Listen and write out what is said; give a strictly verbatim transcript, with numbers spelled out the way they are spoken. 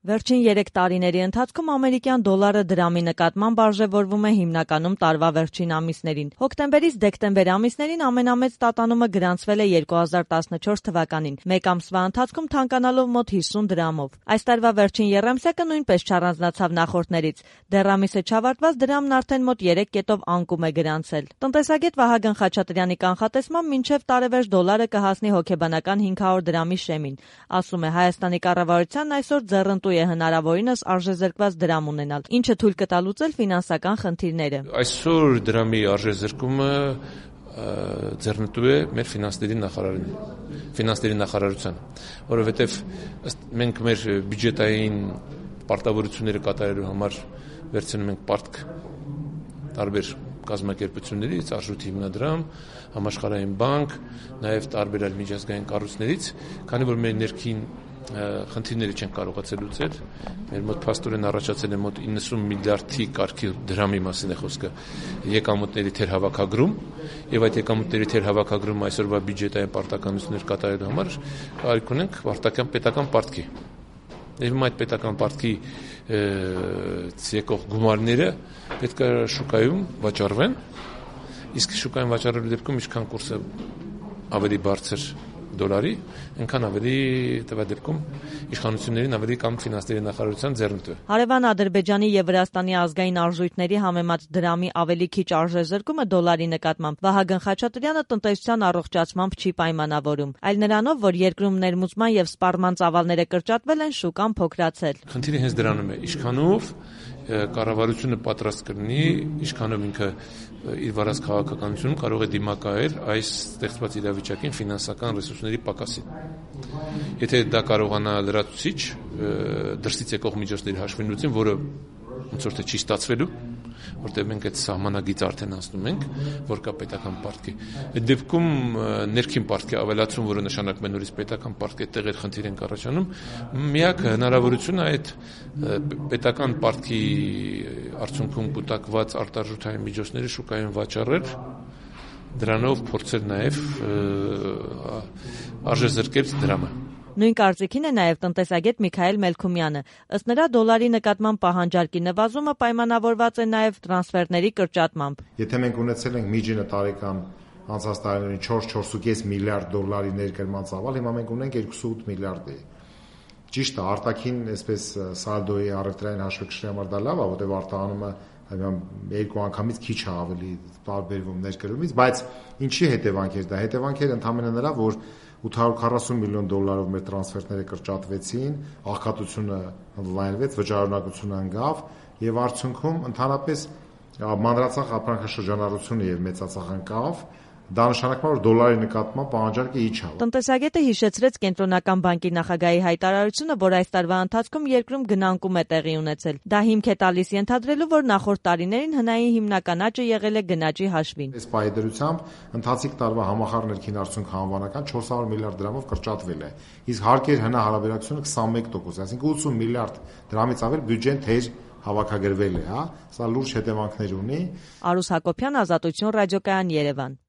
Վերջին երեք տարիների ընթացքում ամերիկյան դոլարը դրամի նկատմամբ արժևորվում է հիմնականում տարվա վերջին ամիսներին։ Հոկտեմբերից դեկտեմբեր ամիսներին ամենամեծ տատանումը գրանցվել է երկու հազար տասնչորս թվականին, մեկ ամսվա ընթացքում թանկանալով մոտ հիսուն դրամով։ Այս տարվա վերջին եռամսյակը նույնպես չառանձնացավ նախորդներից։ Դեռ ամիսը չավարտված դրամն արդեն մոտ երեք կետով անկում է գրանցել։ Տնտեսագետ Վահագն Խաչատրյանի կանխատեսմամբ մինչև տարեվերջ դոլարը կհասնի հոգեբանական հինգ հարյուր դրամի շեմին։ Ասում է, Հայաստանի կառավարությանն այսօր ձեռնտու է հնարավորինս արժեզրկված դրամ ունենալ, ինչը թույլ կտա լուծել ֆինանսական խնդիրները։ Այսօր դրամի արժեզրկումը ձեռնտու է մեր ֆինանսների նախարարին, ֆինանսների նախարարության, որովհետև մենք մեր բյուջետային պարտավորությունները կատարելու համար վերցնում ենք պարտք տարբեր կազմակերպություններից, Արժույթի հիմնադրամ, Համաշխարհային բանկ, նաև տարբեր այլ միջազգային կառույցներից, քանի որ մեր ներքին խնդիրները չեն կարողացել լուծել, մեր մոտ փաստորեն առաջացել է մոտ իննսուն միլիարդի կարգի դրամի մասին է խոսքը եկամուտների թերհավաքագրում, եւ այդ եկամուտների թերհավաքագրումը այսօրվա բյուջետային պարտականություններ կատարելու համար կարիք ունենք վարտական պետական պարտքի։ Եվ այդ պետական պարտքի եկող գումարները պետք է շուկայում վաճառվեն, իսկ շուկայում վաճառելու դեպքում ինչքան կուրսը ավելի բարձր դոլարի, այնքան ավելի տվյալ դեպքում իշխանություններին ավելի կամ ֆինանսների նախարարության ձեռնտու։ Հարևան Ադրբեջանի եւ Վրաստանի ազգային արժույթների համեմատ դրամի ավելի քիչ արժեզրկումը դոլարի նկատմամբ Վահագն Խաչատրյանը տնտեսության առողջացմամբ չի պայմանավորում, այլ նրանով, որ երկրում ներմուծման եւ սպառման ծավալները կրճատվել են, շուկան փոքրացել։ Խնդիրը հենց դրանում է, ինչքանով կառավարությունը պատրաստ կլինի, ինչքանով ինքը իր վարած քաղաքականությունում կարող է դիմակայել այս ստեղծված իրավիճակին ֆինանսական ռեսուրսների պակասին։ Եթե դա կարողանա լրացուցիչ դրսից եկող միջոցների հաշվին լուծին, որը ոնց որ թե չի ստացվելու, որտեղ մենք այդ սահմանագիծ արդեն անցնում ենք, որ կա պետական պարտքի։ Այդ դեպքում ներքին պարտքի ավելացում, որը նշանակում է նորից պետական պարտքի տեղեր խնդիր են առաջանում, միակ հնարավորությունը այդ պետական պարտքի արդյունքում կուտակված արտարժութային միջոցների շուկայում վաճառել, դրանով փորձել նաև արժեզրկել դրամը։ Նույն կարծիքին է նաև տնտեսագետ Միքայել Մելքումյանը։ Ըստ նրա դոլարի նկատմամբ պահանջարկի նվազումը պայմանավորված է նաև տրանսֆերների կրճատմամբ։ Եթե մենք ունեցել ենք միջինը տարեկան անցած տարիներին չորս չորս կես միլիարդ դոլարի ներկրման ծավալ, հիմա մենք ունենք երկուսուութ միլիարդի։ Ճիշտ է, արտաքին այսպես սալդոյի առևտրային հաշվեկշռի համար դա լավ է, որտեղ արտահանումը երկու անգամից քիչ է ավելի տարբերվում ներկրումից, բայց ինչի հետևանքեր դա։ Հետևանքերը ընդհանրապես նրա, որ ութ հարյուր քառասուն միլիոն դոլարով մեր տրանսֆերները կրճատվեցին, աղքատությունը ընդլայնվեց, վճարունակությունը ընկավ եւ արդյունքում ընդհանրապես մանրածախ ապրանքաշրջանառությունը եւ մեծածախ ընկավ։ Դա նշանակում է, որ դոլարի նկատմամբ պահանջարկը իջավ։ Տնտեսագետը հիշեցրեց Կենտրոնական բանկի նախագահի հայտարարությունը, որ այս տարվա ընթացքում երկրում գնանկում է տեղի ունեցել։ Դա հիմք է տալիս ենթադրելու, որ նախորդ տարիներին հնային հիմնական աճը եղել է գնաճի հաշվին։ Այս պայմանությամբ ընթացիկ տարվա համախառն ներքին արդյունքը անվանական չորս հարյուր միլիարդ դրամով կրճատվել է։ Իսկ հարկեր հնա հարաբերակցությունը քսանմեկ տոկոս, այսինքն ութսուն միլիարդ դրամից ավել բյուջեն թեր հավաքագրվել է, հա։ Սա լուրջ հետևանքներ ունի։ Արուս Հակոբյան, Ազատություն ռադիոկայան, Երևան։